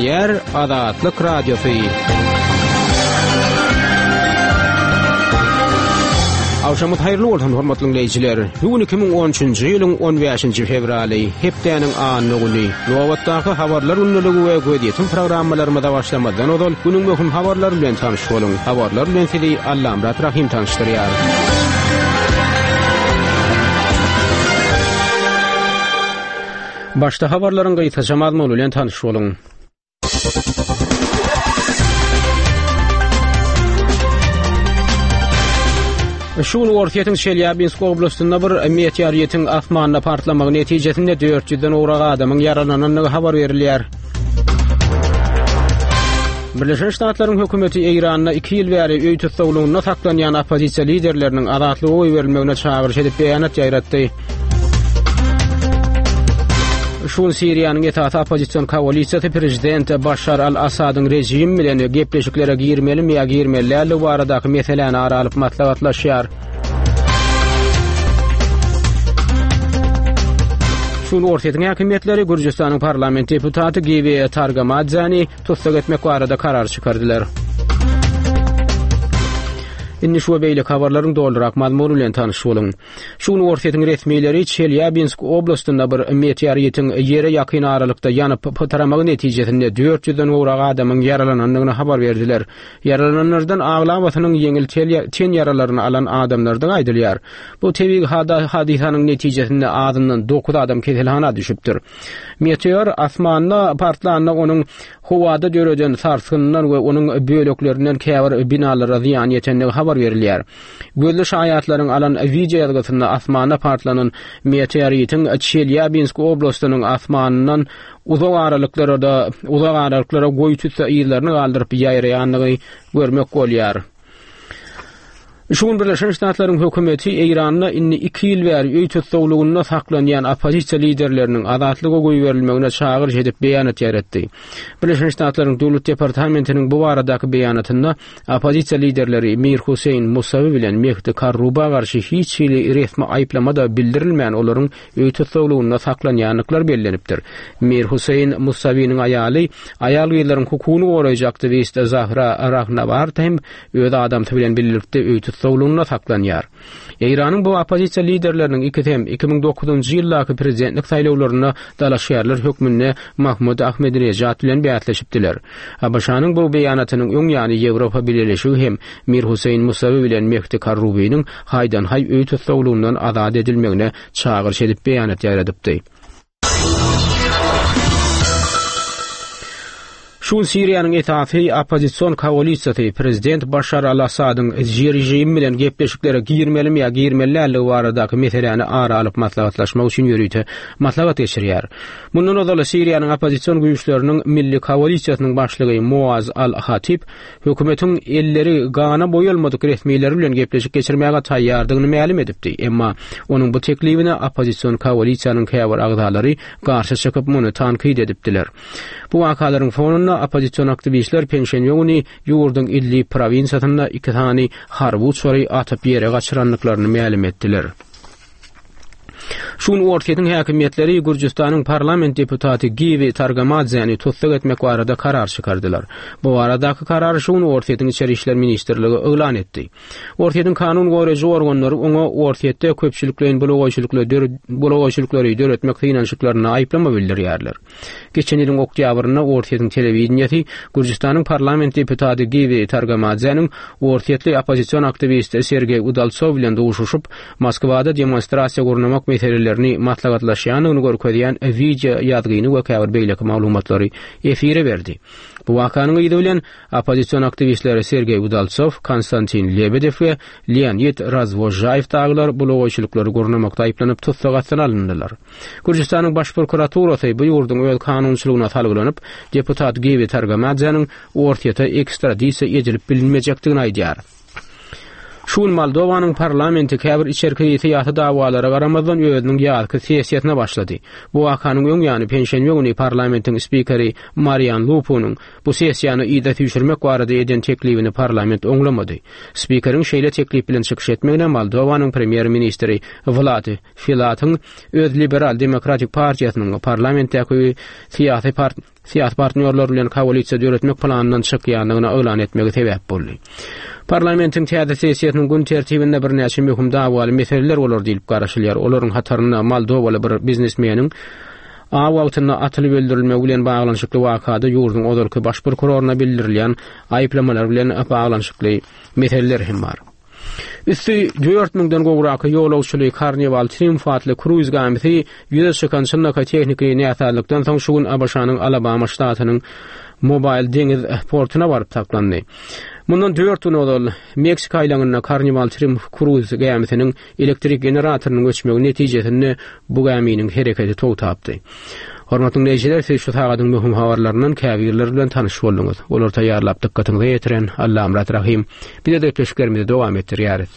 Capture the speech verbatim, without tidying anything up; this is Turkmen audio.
Gepleýär Azatlyk Radiosy. Agşamyz haýyrly bolsun hormatly dinleýjiler. Bu gün iki müň on üçünji ýylyň on bäşinji fewraly, hepdäniň anna güni. Nobatdaky habarlar gündeligi we gözýetim programmalarymyza başlamazdan ozal günüň möhüm habarlary bilen tanyş boluň. Habarlar bilen sizi Allamyrat Rahim tanyşdyrýar. Başda habarlaryň gysgaça mazmuny bilen tanyş boluň. Şu gün Orsýetiň Çelýabinsk oblastynda bir meteoritiň asmanda partlamagy netijesinde dört ýüzden gowrak adamyň ýaralanandygy habar berilýär. Birleşen Ştatlaryň hökümeti Eýranda iki ýyl bäri öý tussaglygynda saklanýan oppozisiýa liderleriniň azatlyga goýberilmegine çagyryş edip beýanat ýaýratdy. Şu gün Siriýanyň esasy oppozision koalisiýasy prezident Başar al-Assadyň režimi bilen gepleşiklere girmelimi ýa girmeli däldigi baradaky meseläni ara alyp maslahatlaşýar. Şu gün Orsýetiň häkimiýetleri Gürjüstanyň parlament deputaty Giwi Targamadzäni tussag etmek barada karar çykardylar. Indi şu we beýleki habarlaryň dolurak mazmuny bilen tanyş boluň. Şu gün Orsýetiň resmileri Çelýabinsk oblastynda bir meteoritiň ýere ýakyn aralykda ýanyp pytramagy netijesinde dört ýüzden gowrak adamyň ýaralanandygyny habar berdiler. Ýaralananlardan aglabasynyň ýeňil ten ýaralaryny alan adamlardygy aýdylýar. Bu tebigy hadysanyň netijesinde azyndan dokuz adam keselhana düşüpdir. Meteor asmanda partlanda onuň howada döreden sarsgyndan we onuň böleklerinden käbir binalara zyýan ýetendigi habar berilýär. Gözli şaýatlaryň alan wideo ýazgysynda asmanda partlanan meteoritiň Çelýabinsk oblastynyň asmanyndan uzak aralyklara uzak aralyklara goýy tüsse yzlaryny galdyryp ýaýraýandygy görmek bolýar. Şu gün Birleşen Ştatlaryň hökümeti Eýranda indi iki ýyl bäri öý tussaglygynda saklanýan oppozisiýa liderleriniň azatlyga goýberilmegine çagyryş edip beýanat ýaýratdy. Birleşen Ştatlaryň Döwlet departamentiniň bu baradaky beýanatynda oppozisiýa liderleri Mir Huseýn Musawi bilen Mehdi Karruba garşy hiç hili resmi aýyplama da bildirilmän olaryň öý tussaglygynda saklanýandyklary bellenipdir. Mir Huseýn Musawiniň aýaly aýal gyzlaryň hukugyny goraýjy aktiwist Zahra Rahnavard hem öz adamsy bilen birlikde öý tussaglygynda saklanýar. Eýranyň bu oppozisiýa liderleriniň ikisi hem iki müň dokuzynjy ýyldaky prezidentlik saýlawlarynda dalaşgärler hökmünde Mahmud Ahmedinejad bilen bäsleşipdiler. A B Ş-nyň bu beýanatynyň öň ýany Ýewropa Bileleşigi hem Mir Huseýn Musawi bilen Mehdi Karrubiniň haýdan-haý öý tussaglygyndan azat edilmegine çagyryş edip beýanat ýaýradypdy. Şu gün Siriýanyň esasy oppozision koalisiýasy prezident Başar al-Assadyň režimi bilen gepleşiklere girmelimi ýa girmeli däldigi baradaky meseläni ara alyp maslahatlaşmak üçin ýörite maslahat geçirýär. Mundan ozal Siriýanyň oppozision güýçleriniň milli koalisiýasynyň başlygy Muaz al-Hatib hökümetiň elleri gana boýalmadyk resmileri bilen gepleşik geçirmäge taýýardygyny mälim edipdi. Emma onuň bu teklibine oppozision koalisiýanyň käbir agzalary garşy çykyp muny tankyt edipdiler. Bu wakalaryň fonunda oppozision aktiwistler penşenbe güni ýurduň Idlib provinsiýasynda iki sany harby uçary atyp ýere gaçyrandyklaryny mälim etdiler. Şu gün Orsýetiň häkimiýetleri Gürjüstanyň parlament deputaty Giwi Targamadzäni tussag etmek barada karar çykardylar. Bu baradaky karary şu gün Orsýetiň İçeri İşler Ministrligi yglan etdi. Orsýetiň kanun goraýjy organlary oňa Orsýetde köpçülikleýin bulagaýçylyklary döretmek synanyşyklaryna aýyplama bildirýärler. Geçen ýylyň oktýabrynda Orsýetiň telewideniýesi Gürjüstanyň parlament deputaty Giwi Targamadzäniň orsýetli oppozision aktiwist Sergey Udaltsov bilen duşuşyp, Moskwada demonstrasiýa gurnamak meselelerini maslahatlaşýandygyny görkezýän wideo ýazgyny we käbir beýleki maglumatlary efire berdi. Bu wakanyň yzy bilen oppozision aktiwistler Sergey Udaltsov, Konstantin Lebedev we Leonid Razvojayev dagylar bulagaýçylyklary gurnamakda aýyplanyp tussag astyna alyndylar. Gürjüstanyň baş prokuraturasy bu ýurduň öz kanunçylygyna salgylanyp, deputat Giwi Targamadzäniň Orsýete ekstradisiýa edilip bilinmejekdigini aýdýar. Şu gün Moldowanyň parlamenti käbir içerki syýasy dawalara garamazdan özüniň ýazky sessiýasyna başlady. Bu wakanyň öň ýany penşenbe güni parlamentiň spikeri Marian Lupunyň bu sessiýany yza süýşürmek barada eden teklibini parlament oňlamady. Spikeriň şeýle teklip bilen çykyş etmegine Moldowanyň premýer-ministri Vlad Filatyň öz liberal demokratik partiýasynyň parlamentdäki syýasy part syýasy partnýorlar bilen koalisiýa döretmek planyndan çykýandygyny yglan etmegi sebäp boldy. Parlamentiň täze sessiýasynyň gün tertibinde birnäçe möhüm dawaly meseleler bolar diýlip garaşylýar. Olaryň hatarynda Moldowaly bir biznesmeniň aw wagtynda atylyp öldürilmegi bilen baglanyşykly wakada ýurduň ozalky baş prokuroryna bildirilýän aýyplamalar bilen baglanyşykly meseleler hem bar. Üsti dört müňden gowrak ýolagçyly Carnival Triumph atly kruiz gämisi ýüze çykan çynlakaý tehniki näsazlykdan soň şu gün ABŞ-nyň Alabama ştatynyň Mobaýl deňiz portuna baryp saklandy. Mundan dört gün ozal Meksika aýlagynda Carnival Triumph kruiz gämisiniň elektrik generatorynyň öçmegi netijesinde bu gäminiň hereketi togtapdy. Hormatly diňleýjiler, siz şu sagadyň möhüm habarlaryndan käbirleri bilen tanyş bolduňyz. Olary taýýarlap dykgatyňyza ýetiren Allamyrat Rahym. Biz-de gepleşiklerimizi dowam etdirýäris.